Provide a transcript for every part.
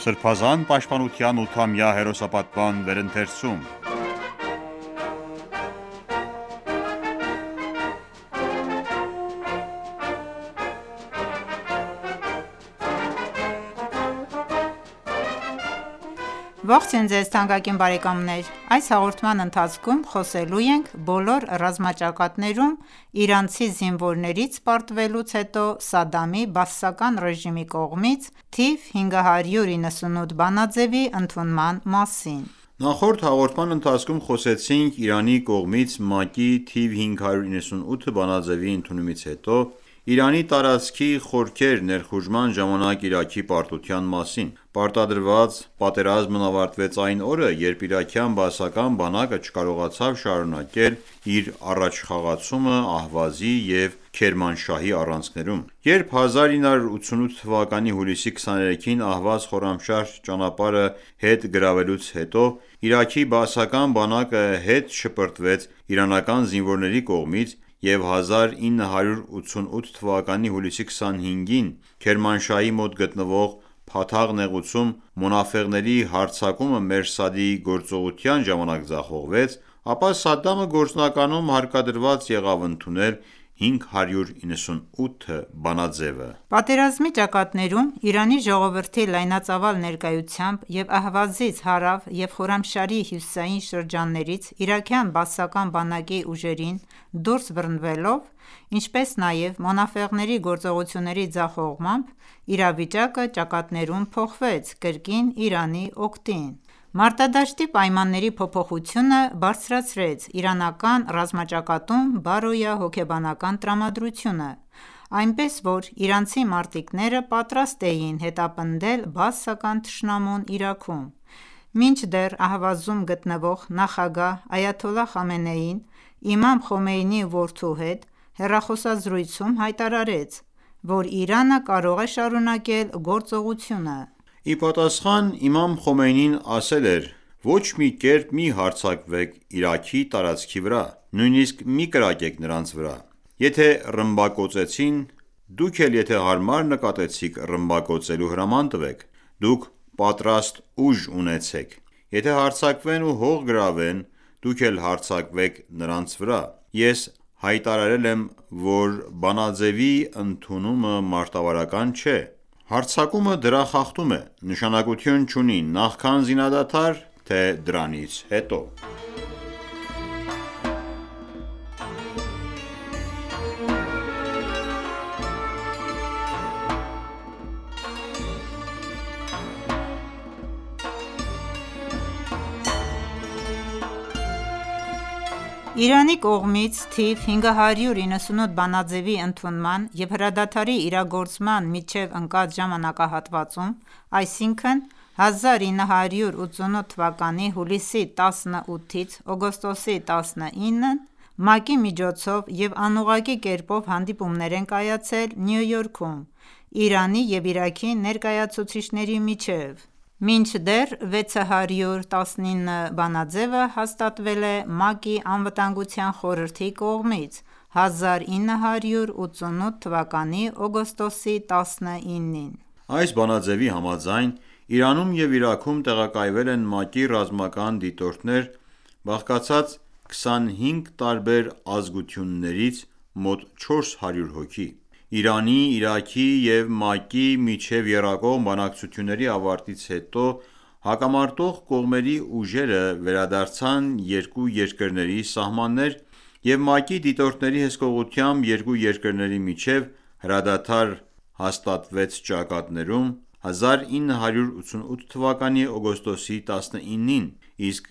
Սրբազան պաշտպանության 8-ամյա հերոսապատման վերընթերցում։ Ողջույն ձեզ թանկագին բարեկամներ: Այս հաղորդման ընթացքում խոսելու ենք բոլոր ռազմաճակատներում իրանցի զինվորներից պարտվելուց հետո Սադամի բաասական ռեժիմի կողմից թիվ 598 բանաձևի ընդունման մասին: Նախորդ հաղորդման ընթացքում խոսեցինք Իրանի կողմից ՄԱԿ-ի թիվ 598 բանաձևի ընդունումից հետո Իրանի տարածքի խորքեր ներխուժման ժամանակ Իրաքի պարտության մասին: Պարտադրված պատերազմն ավարտվեց այն օրը, երբ իրաքյան բաասական բանակը չկարողացավ շարունակել իր առաջխաղացումը Ահվազի և Քերմանշահի առանցքներում: Երբ 1988 թվականի հուլիսի 23-ին Ահվազ -Խորամշահր ճանապարհը հետ գրավելուց հետո Իրաքի բաասական բանակը հետ շպրտվեց իրանական զինվորների կողմից և 1988 թվականի հուլիսի 25-ին Քերմանշահի մոտ գտնվող Փաթաղ նեղուցում մոնաֆեղների հարձակումը Մերսադի գործողության ժամանակ ձախողվեց, ապա Սադամը գործնականում հարկադրված եղավ ընդունել 598 բանաձևը: Պատերազմի ճակատներում Իրանի ժողովրդի լայնածավալ ներկայությամբ և Ահվազից հարավ և Խորամշահրի հյուսիսային շրջաններից իրաքյան բաասական բանակի ուժերին դուրս բռնվելով, ինչպես նաև մոնաֆեղների գործողությունների ձախողմամբ իրավիճակը ճակատներում փոխվեց կրկին Իրանի օգտին: Մարտադաշտի պայմանների փոփոխությունը բարձրացրեց իրանական ռազմաճակատում բարոյահոգեբանական տրամադրությունը, այնպես որ իրանցի մարտիկները պատրաստ էին հետապնդել բաասական թշնամուն Իրաքում: Մինչդեռ Ահվազում գտնվող նախագահ Այաթոլլահ Խամենեին իմամ Խոմեյնիի որդու հետ հեռախոսազրույցում հայտարարեց, որ Իրանը կարող է շարունակել գործողությունը: Ի պատասխան իմամ Խոմեյնին ասել էր.«Ոչ մի կերպ մի հարձակվեք Իրաքի տարածքի վրա, նույնիսկ մի կրակեք նրանց վրա: Եթե ռմբակոծեցին, դուք էլ եթե հարմար նկատեցիք ռմբակոծելու հրաման տվեք: Դուք պատրաստ ուժ ունեցեք: Եթե հարձակվեն ու հող գրավեն, դուք էլ հարձակվեք նրանց վրա: Ես հայտարարել եմ, որ բանաձևի ընդունումը մարտավարական չէ: Հարձակումը դրախախտում է, նշանակություն չունի նախքան զինադադար, թե դրանից հետո»: Իրանի կողմից թիվ 598 բանաձևի ընդունման և հրադադարի իրագործման միջև ընկած ժամանակահատվածում, այսինքն 1988 թվականի հուլիսի 18-ից օգոստոսի 19-ին ՄԱԿ-ի միջոցով և անուղղակի կերպով հանդիպումներ են կայացել Նյու Յորքում Իրանի և Իրաքի ներկայացուցիչների միջև: Մինչդեռ 619 բանաձևը հաստատվել է ՄԱԿ-ի Անվտանգության խորհրդի կողմից 1988 թվականի օգոստոսի 19-ին: Այս բանաձևի համաձայն Իրանում և Իրաքում տեղակայվել են ՄԱԿ-ի ռազմական դիտորդներ բաղկացած 25 տարբեր ազգություններից մոտ 400 հոգի: Իրանի, Իրաքի և ՄԱԿ-ի միջև եռակողմ բանակցությունների ավարտից հետո հակամարտող կողմերի ուժերը վերադարձան երկու երկրների սահմաններ և ՄԱԿ-ի դիտորդների հսկողությամբ երկու երկրների միջև հրադադար հաստատվեց ճակատներում 1988 թվականի օգոստոսի 19-ին, իսկ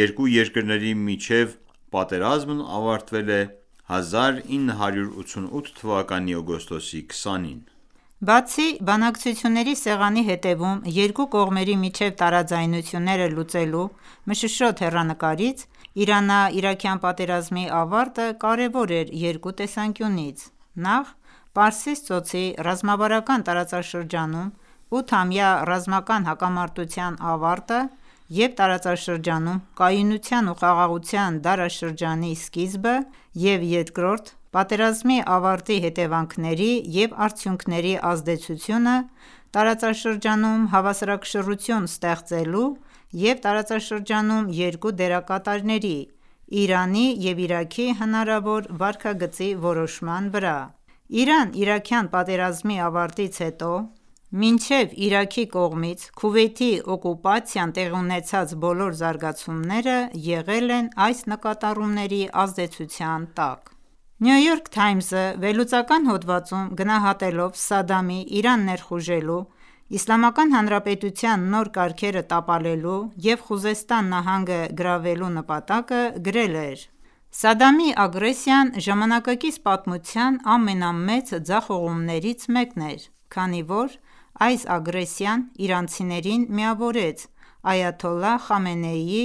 երկու երկրների միջև պատերազմն ավարտվել է 1988 թվականի օգոստոսի 20-ին: Բացի բանակցությունների սեղանի հետևում երկու կողմերի միջև տարաձայնությունները լուծելու մշուշոտ հեռանկարից, Իրано-իրաքյան պատերազմի ավարտը կարևոր էր երկու տեսանկյունից: Նախ՝ Պարսից ծոցի ռազմավարական տարածաշրջանում 8-ամյա ռազմական հակամարտության ավարտը և տարածաշրջանում կայունության ու խաղաղության դարաշրջանի սկիզբը և երկրորդ՝ Պատերազմի ավարտի հետևանքների և արդյունքների ազդեցությունը տարածաշրջանում հավասարակշռություն ստեղծելու և տարածաշրջանում երկու դերակատարների՝ Իրանի և Իրաքի հնարավոր վարքագծի որոշման վրա: Իրան-իրաքյան պատերազմի ավարտից հետո մինչև Իրաքի կողմից Քուվեյթի օկուպացիան տեղի ունեցած բոլոր զարգացումները եղել են այս նկատառումների ազդեցության տակ: New York Times-ը վերլուծական հոդվածում գնահատելով Սադամի Իրան ներխուժելու, Իսլամական Հանրապետության նոր կարգերը տապալելու և Խուզեստան նահանգը գրավելու նպատակը գրել էր.«Սադամի ագրեսիան ժամանակակից պատմության ամենամեծ ձախողումներից մեկն էր, քանի որ այս ագրեսիան իրանցիներին միավորեց Այաթոլլահ Խամենեիի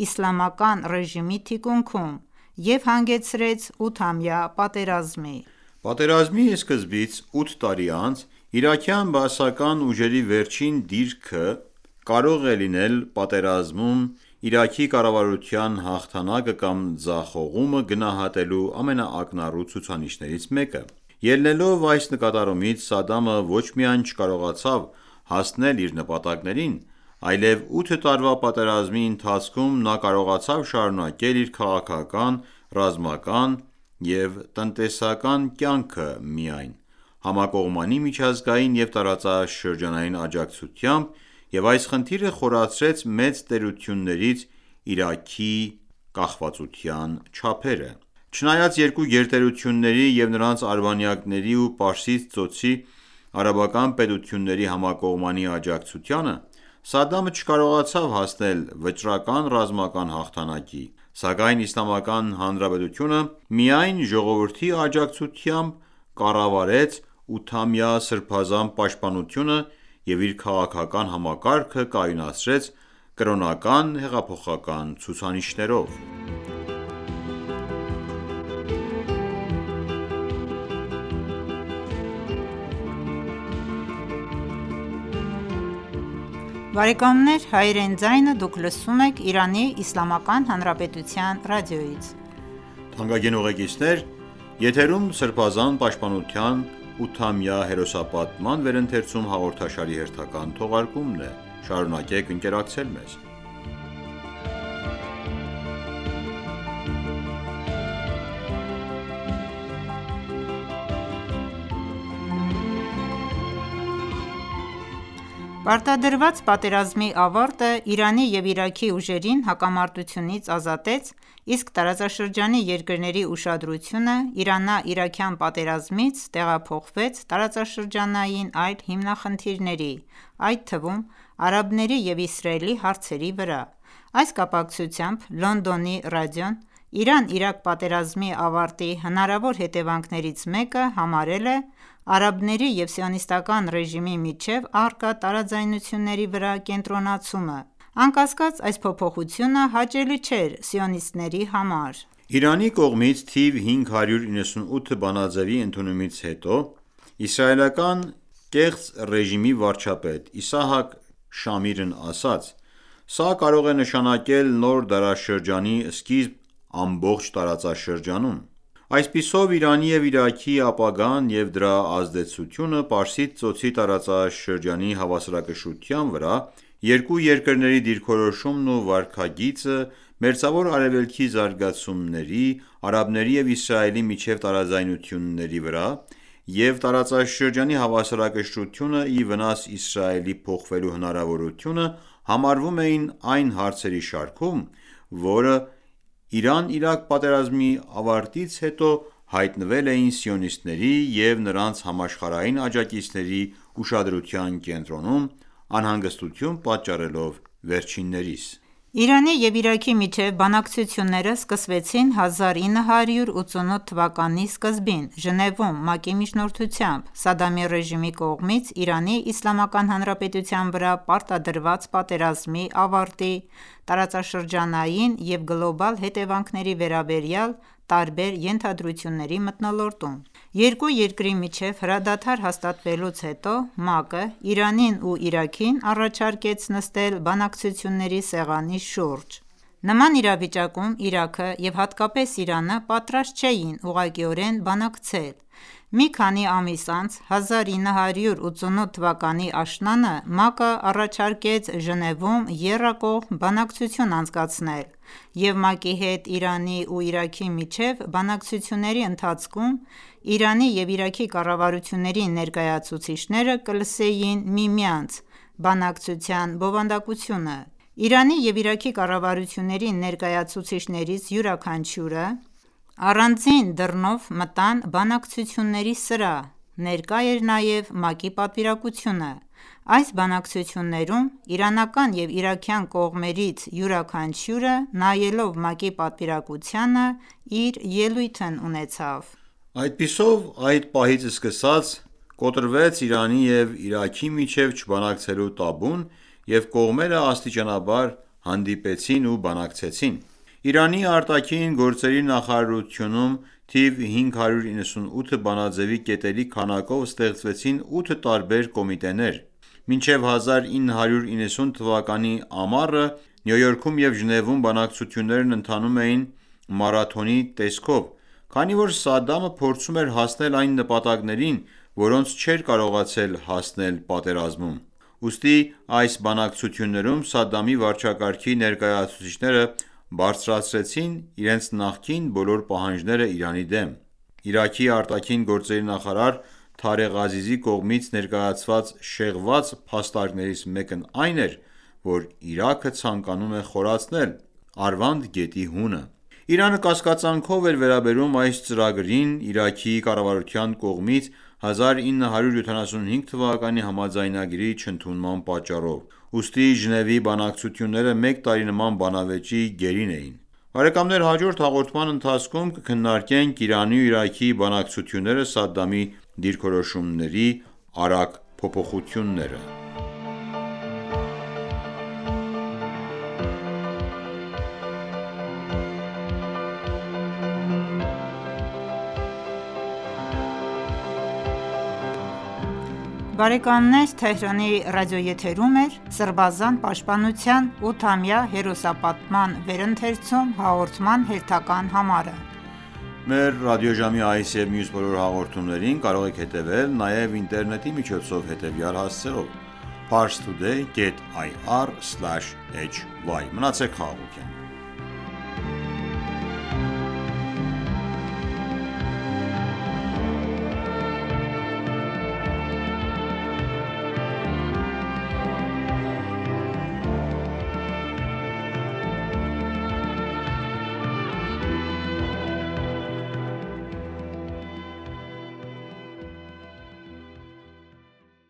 իսլամական ռեժիմի թիկունքում և հանգեցրեց 8-ամյա պատերազմի»: Պատերազմի սկզբից 8 տարի անց իրաքյան բաասական ուժերի վերջին դիրքը կարող է լինել պատերազմում Իրաքի կառավարության հաղթանակը կամ ձախողումը գնահատելու ամենաակնառու ցուցիչներից մեկը: Ելնելով այս նկատառումից Սադամը ոչ միայն չկարողացավ հասնել իր նպատակներին, այլև 8 տարվա պատերազմի ընթացքում նա կարողացավ շարունակել իր քաղաքական, ռազմական և տնտեսական կյանքը միայն համակողմանի միջազգային և տարածաշրջանային աջակցությամբ և այս խնդիրը խորացրեց մեծ տերություններից Իրաքի կախվածության չափերը: Չնայած երկու գերտերությունների և նրանց արբանյակների ու Պարսից ծոցի արաբական պետությունների համակողմանի աջակցությանը, Սադամը չկարողացավ հասնել վճռական ռազմական հաղթանակի, սակայն Իսլամական Հանրապետությունը միայն ժողովրդի աջակցությամբ կառավարեց 8-ամյա սրբազան պաշտպանությունը և իր քաղաքական համակարգը կայունացրեց կրոնական հեղափոխական ցուցանիշներով: Պարտադրված պատերազմի ավարտը Իրանի և Իրաքի ուժերին հակամարտությունից ազատեց, իսկ տարածաշրջանի երկրների ուշադրությունը Իրանա-իրաքյան պատերազմից տեղափոխվեց տարածաշրջանային այլ հիմնախնդիրների, այդ թվում արաբների և Իսրայելի հարցերի վրա: Այս կապակցությամբ Լոնդոնի ռադիոն Իրան-Իրաք պատերազմի ավարտի հնարավոր հետևանքներից մեկը համարել է արաբների և Սիոնիստական ռեժիմի միջև առկա տարաձայնությունների վրա կենտրոնացումը: Անկասկած, այս փոփոխությունը հաճելի չէր սիոնիստների համար: Իրանի կողմից թիվ 598 բանաձեւի ընդունումից հետո իսրայելական կեղծ ռեժիմի վարչապետ Իսահակ Շամիրն ասաց.«Սա կարող է նշանակել նոր դարաշրջանի սկիզբ ամբողջ տարածաշրջանում»: Այսպիսով Իրանի և Իրաքի ապագան և դրա ազդեցությունը Պարսից ծոցի տարածաշրջանի հավասարակշռության վրա, երկու երկրների դիրքորոշումն ու վարքագիծը, Մերձավոր Արևելքի զարգացումների, արաբների և Իսրայելի միջև տարաձայնությունների վրա և տարածաշրջանի հավասարակշռությունը ի վնաս Իսրայելի փոխվելու հնարավորությունը համարվում էին այն հարցերի շարքում, որը Իրան-Իրաք պատերազմի ավարտից հետո հայտնվել էին սիոնիստների և նրանց համաշխարհային աջակիցների ուշադրության կենտրոնում, անհանգստություն պատճառելով վերջիններիս: Իրանի և Իրաքի միջև բանակցությունները սկսվեցին 1988 թվականի սկզբին Ժնևում ՄԱԿ-ի միջնորդությամբ՝ Սադամի ռեժիմի կողմից Իրանի Իսլամական Հանրապետության վրա պարտադրված պատերազմի ավարտի, տարածաշրջանային և գլոբալ հետևանքների վերաբերյալ տարբեր ենթադրությունների մթնոլորտում: Երկու երկրի միջև հրադադար հաստատվելուց հետո ՄԱԿ-ը Իրանին ու Իրաքին առաջարկեց նստել բանակցությունների սեղանի շուրջ: Նման իրավիճակում Իրաքը և հատկապես Իրանը պատրաստ չէին ուղղակիորեն բանակցել: Մի քանի ամիս անց, 1988 թվականի աշնանը ՄԱԿ-ը առաջարկեց Ժնևում եռակողմ բանակցություն անցկացնել և ՄԱԿ-ի հետ Իրանի ու Իրաքի միջև բանակցությունների ընթացքում Իրանի և Իրաքի կառավարությունների ներկայացուցիչները կլսեին միմյանց բանակցության բովանդակությունը: Իրանի և Իրաքի կառավարությունների ներկայացուցիչներից յուրաքանչյուրը առանձին դռնով մտան բանակցությունների սրահ: Ներկա էր նաև ՄԱԿ-ի պատվիրակությունը: Այս բանակցություններում իրանական և իրաքյան կողմերից յուրաքանչյուրը, նայելով ՄԱԿ-ի պատվիրակությանը, իր ելույթն ունեցավ: Այդպիսով այդ պահից սկսած կոտրվեց Իրանի և Իրաքի միջև չբանակցելու տաբուն և կողմերը աստիճանաբար հանդիպեցին ու բանակցեցին: Իրանի արտաքին գործերի նախարարությունում թիվ 598 բանաձեւի կետերի քանակով ստեղծվեցին 8 տարբեր կոմիտեներ: Մինչև 1990 թվականի ամառը Նյու Յորքում և Ժնևում բանակցություններն ընթանում էին մարաթոնի տեսքով, քանի որ Սադամը փորձում էր հասնել այն նպատակներին, որոնց չէր կարողացել հասնել պատերազմում: Ուստի այս բանակցություններում Սադամի վարչակարգի ներկայացուցիչները բարձրացրեցին իրենց նախկին բոլոր պահանջները Իրանի դեմ: Իրաքի արտաքին գործերի նախարար Թարեղ Ազիզի կողմից ներկայացված շեղված փաստարկներից մեկն այն էր, որ Իրաքը ցանկանում է խորացնել Արվանդ գետի հունը: Իրանը կասկածանքով էր վերաբերում այս ծրագրին Իրաքի կառավարության կողմից 1975 թվականի համաձայնագրի չընդունման պատճառով: Ուստի Ժնևի բանակցությունները մեկ տարի նման բանավեճի գերին էին: Հաջորդ հաղորդման ընթացքում կքննարկենք Իրանի ու Իրաքի բանակցությունները Սադամի դիրքորոշումների արագ փոփոխությունները: Սրբազան պաշտպանության 8-ամյա հերոսապատման վերընթերցում հաղորդման հերթական համարը: Մեր ռադիոժամի այս և մյուս բոլոր հաղորդումներին կարող եք հետևել նաև ինտերնետի միջոցով հետևյալ հասցեով՝ parstoday.ir/hy: Մնացեք խաղաղությամբ: